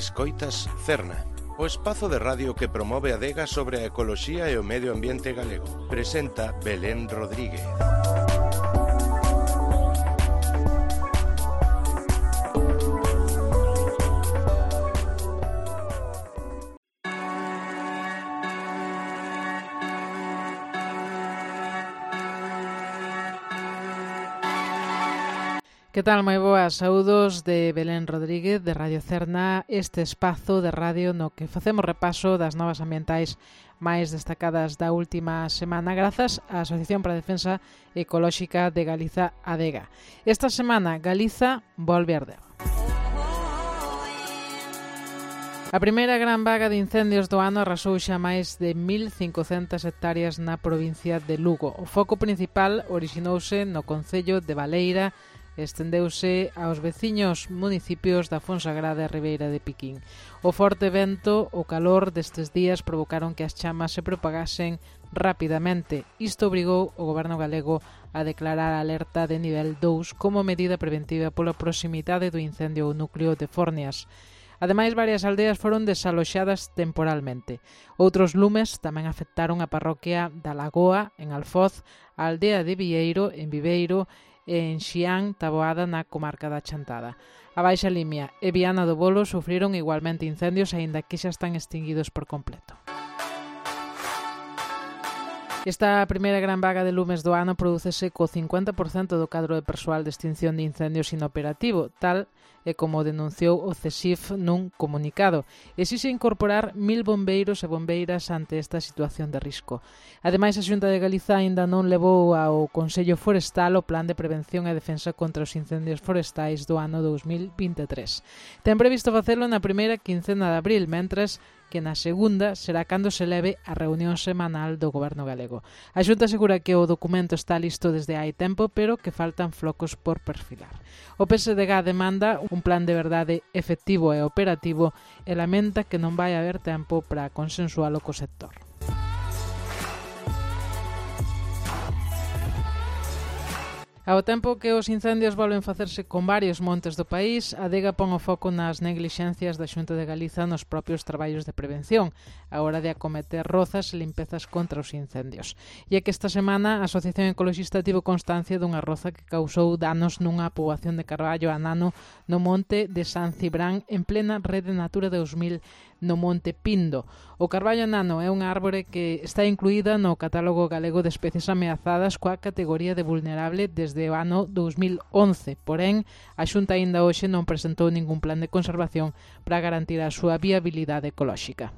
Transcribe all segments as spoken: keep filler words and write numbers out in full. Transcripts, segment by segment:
Escoitas Cerna, o espazo de radio que promove a adega sobre a ecoloxía e o medio ambiente galego. Presenta Belén Rodríguez. Que tal, moi boas, saúdos de Belén Rodríguez de Radio Cerna, este espazo de radio no que facemos repaso das novas ambientais máis destacadas da última semana grazas á Asociación para a Defensa Ecolóxica de Galiza, ADEGA. Esta semana Galiza volve a arder. A primeira gran vaga de incendios do ano arrasou xa máis de mil cincocentas hectáreas na provincia de Lugo. O foco principal orixinouse no concello de Baleira, estendeuse aos veciños municipios da Fonsagrada e Ribeira de Piquín. O forte vento, o calor destes días provocaron que as chamas se propagasen rapidamente. Isto obrigou o goberno galego a declarar alerta de nivel dous como medida preventiva pola proximidade do incendio ao núcleo de Fornias. Ademais, varias aldeas foron desaloxadas temporalmente. Outros lumes tamén afectaron a parroquia da Lagoa, en Alfoz, a aldea de Vieiro, en Viveiro, e en Xián, Taboada, na comarca da Chantada. A Baixa Limia e Viana do Bolo sufriron igualmente incendios, aínda que xa están extinguidos por completo. Esta primeira gran vaga de lumes do ano prodúcese co cincuenta por cento do cadro de persoal de extinción de incendios inoperativo, tal e como denunciou o CESIF nun comunicado. Exixe incorporar mil bombeiros e bombeiras ante esta situación de risco. Ademais, a Xunta de Galiza aínda non levou ao Consello Forestal o Plan de Prevención e Defensa contra os Incendios Forestais do ano dous mil vinte e tres. Ten previsto facelo na primeira quincena de abril, mentres que na segunda será cando se leve a reunión semanal do Goberno galego. A Xunta asegura que o documento está listo desde hai tempo, pero que faltan flocos por perfilar. O P S D G demanda un plan de verdade efectivo e operativo e lamenta que non vai haber tempo para consensualo co sector. Ao tempo que os incendios volven facerse con varios montes do país, a ADEGA pon o foco nas neglixencias da Xunta de Galiza nos propios traballos de prevención, a hora de acometer rozas e limpezas contra os incendios. E é que esta semana a Asociación Ecoloxista tivo constancia dunha roza que causou danos nunha poboación de carballo anano no monte de San Cibrán en plena Rede Natura dous mil no Monte Pindo. O carballo anano é unha árbore que está incluída no Catálogo Galego de Especies Ameazadas coa categoría de vulnerable desde o ano dous mil once. Porén, a Xunta aínda hoxe non presentou ningún plan de conservación para garantir a súa viabilidade ecolóxica.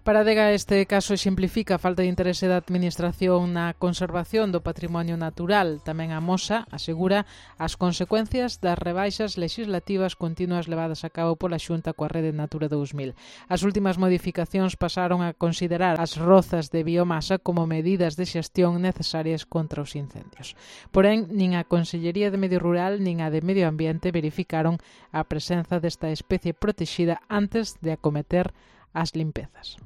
Para a ADEGA este caso exemplifica a falta de interese da Administración na conservación do patrimonio natural. Tamén amosa, asegura, as consecuencias das rebaixas legislativas continuas levadas a cabo pola Xunta coa Rede Natura dous mil. As últimas modificacións pasaron a considerar as rozas de biomasa como medidas de xestión necesarias contra os incendios. Porén, nin a Consellería de Medio Rural nin a de Medio Ambiente verificaron a presenza desta especie protexida antes de acometer as limpezas.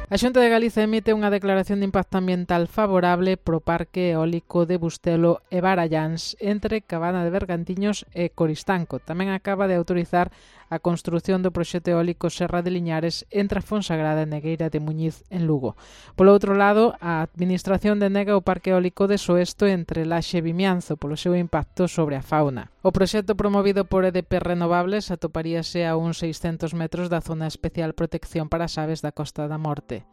A Xunta de Galiza emite unha declaración de impacto ambiental favorable pro Parque Eólico de Bustelo e Baralláns entre Cabana de Bergantiños e Coristanco. Tamén acaba de autorizar a construción do proxecto eólico Serra de Liñares entre a Fonsagrada e Negueira de Muñiz en Lugo. Polo outro lado, a Administración denega o Parque Eólico de Soesto entre Laxe e Vimianzo polo seu impacto sobre a fauna. O proxecto promovido por E D P Renovables atoparíase a uns seiscentos metros da zona especial protección para as aves da Costa da Morte.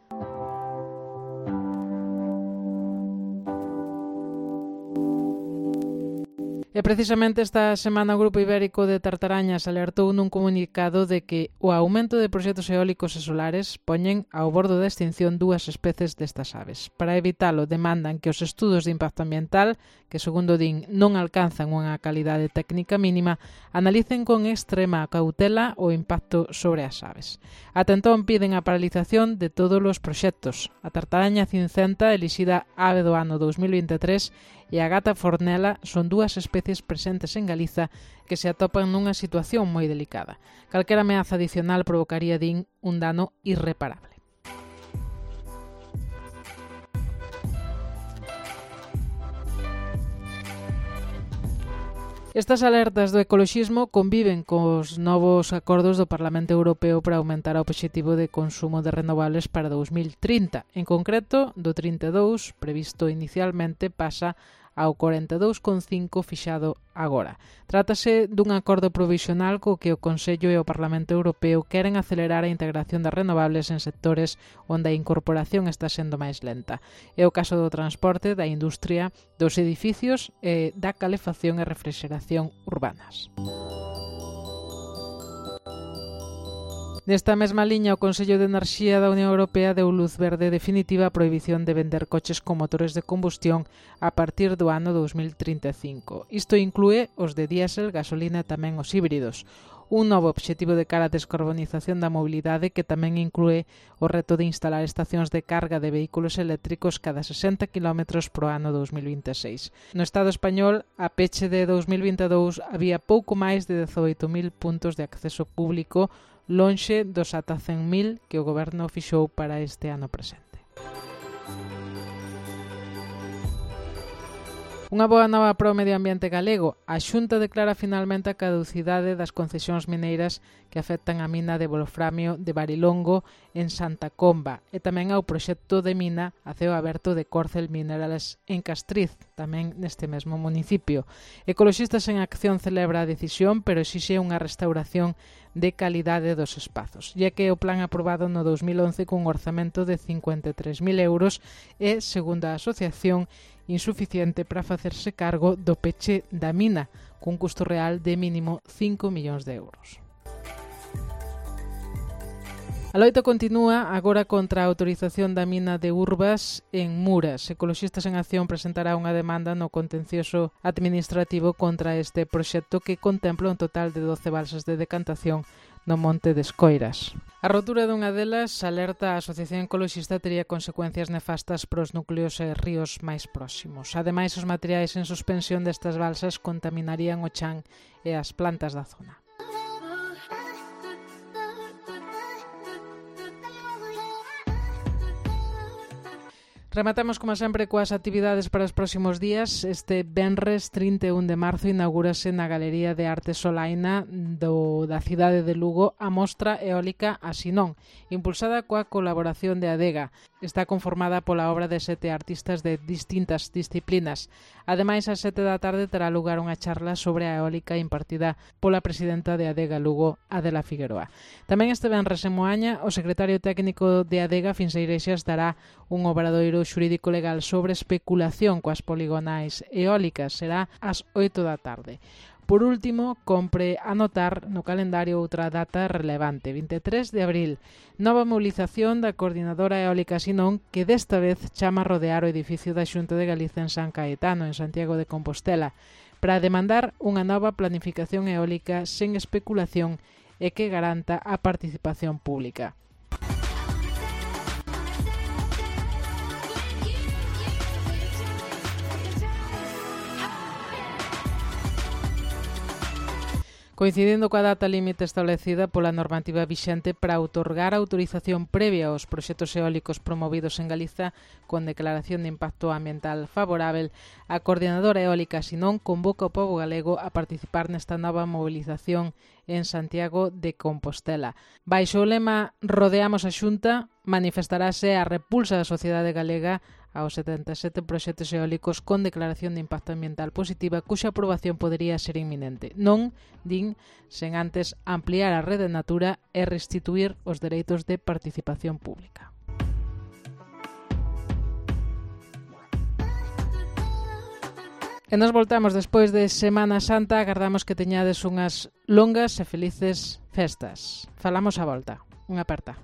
E precisamente esta semana o Grupo Ibérico de Tartarañas alertou nun comunicado de que o aumento de proxectos eólicos e solares poñen ao bordo da extinción dúas especies destas aves. Para evitalo, demandan que os estudos de impacto ambiental, que segundo din non alcanzan unha calidade técnica mínima, analicen con extrema cautela o impacto sobre as aves. Ata entón piden a paralización de todos os proxectos. A tartaraña cincenta, elixida ave do ano dous mil vinte e tres, e a gata fornela son dúas especies presentes en Galiza que se atopan nunha situación moi delicada. Calquera ameaza adicional provocaría, din, un dano irreparable. Estas alertas do ecoloxismo conviven cos novos acordos do Parlamento Europeo para aumentar o obxectivo de consumo de renovables para dous mil trinta. En concreto, do trinta e dous, previsto inicialmente, pasa ao corenta e dous coma cinco fixado agora. Trátase dun acordo provisional co que o Consello e o Parlamento Europeo queren acelerar a integración das renovables en sectores onde a incorporación está sendo máis lenta. É o caso do transporte, da industria, dos edificios e da calefacción e refrixeración urbanas. Nesta mesma liña, o Consello de Enerxía da Unión Europea deu luz verde definitiva á prohibición de vender coches con motores de combustión a partir do ano dous mil trinta e cinco. Isto inclúe os de diésel, gasolina e tamén os híbridos. Un novo obxectivo de cara á descarbonización da mobilidade que tamén inclúe o reto de instalar estacións de carga de vehículos eléctricos cada sesenta kilómetros pro ano dous mil vinte e seis. No Estado español, a peche de dous mil vinte e dous, había pouco máis de dezoito mil puntos de acceso público, lonxe dos ata cen mil que o Goberno fixou para este ano presente. Unha boa nova para o medio ambiente galego. A Xunta declara finalmente a caducidade das concesións mineiras que afectan a mina de wolframio de Barilongo en Santa Comba e tamén ao proxecto de mina a ceo aberto de Corcel Minerals en Castriz, tamén neste mesmo municipio. Ecoloxistas en Acción celebra a decisión, pero exixe unha restauración de calidade dos espazos, ya que o plan aprobado no dous mil once cun orzamento de cincuenta e tres mil euros é, segundo a asociación, insuficiente para facerse cargo do peche da mina, cun custo real de mínimo cinco millóns de euros. A loita continúa agora contra a autorización da mina de Urbas en Muras. Ecoloxistas en Acción presentará unha demanda no contencioso administrativo contra este proxecto que contempla un total de doce balsas de decantación no Monte de Escoiras. A rotura dunha delas, alerta a Asociación Ecoloxista, tería consecuencias nefastas para os núcleos e ríos máis próximos. Ademais, os materiais en suspensión destas balsas contaminarían o chan e as plantas da zona. Rematamos, como sempre, coas actividades para os próximos días. Este venres trinta e un de marzo inaugúrase na Galería de Arte Solaina do, da cidade de Lugo a mostra eólica Asinón, impulsada coa colaboración de Adega. Está conformada pola obra de sete artistas de distintas disciplinas. Ademais, ás sete da tarde terá lugar unha charla sobre a eólica impartida pola presidenta de Adega Lugo, Adela Figueroa. Tamén este venres en Moaña, o secretario técnico de Adega, Fins Iglesias, dará un obradoiro xurídico legal sobre especulación coas poligonais eólicas. Será ás oito da tarde. Por último, compre anotar no calendario outra data relevante, vinte e tres de abril, nova movilización da Coordinadora Eólica Sinón, que desta vez chama a rodear o edificio da Xunta de Galicia en San Caetano, en Santiago de Compostela, para demandar unha nova planificación eólica sen especulación e que garanta a participación pública. Coincidindo coa data límite establecida pola normativa vixente para outorgar a autorización previa aos proxectos eólicos promovidos en Galiza con declaración de impacto ambiental favorável, a Coordinadora Eólica Sinón convoca ao pobo galego a participar nesta nova movilización en Santiago de Compostela. Baixo o lema Rodeamos a Xunta, manifestarase a repulsa da sociedade galega aos setenta e sete proxectos eólicos con declaración de impacto ambiental positiva cuxa aprobación podería ser inminente. Non, din, sen antes ampliar a rede Natura e restituir os dereitos de participación pública. E nos voltamos despois de Semana Santa. Agardamos que teñades unhas longas e felices festas. Falamos a volta. Unha aperta.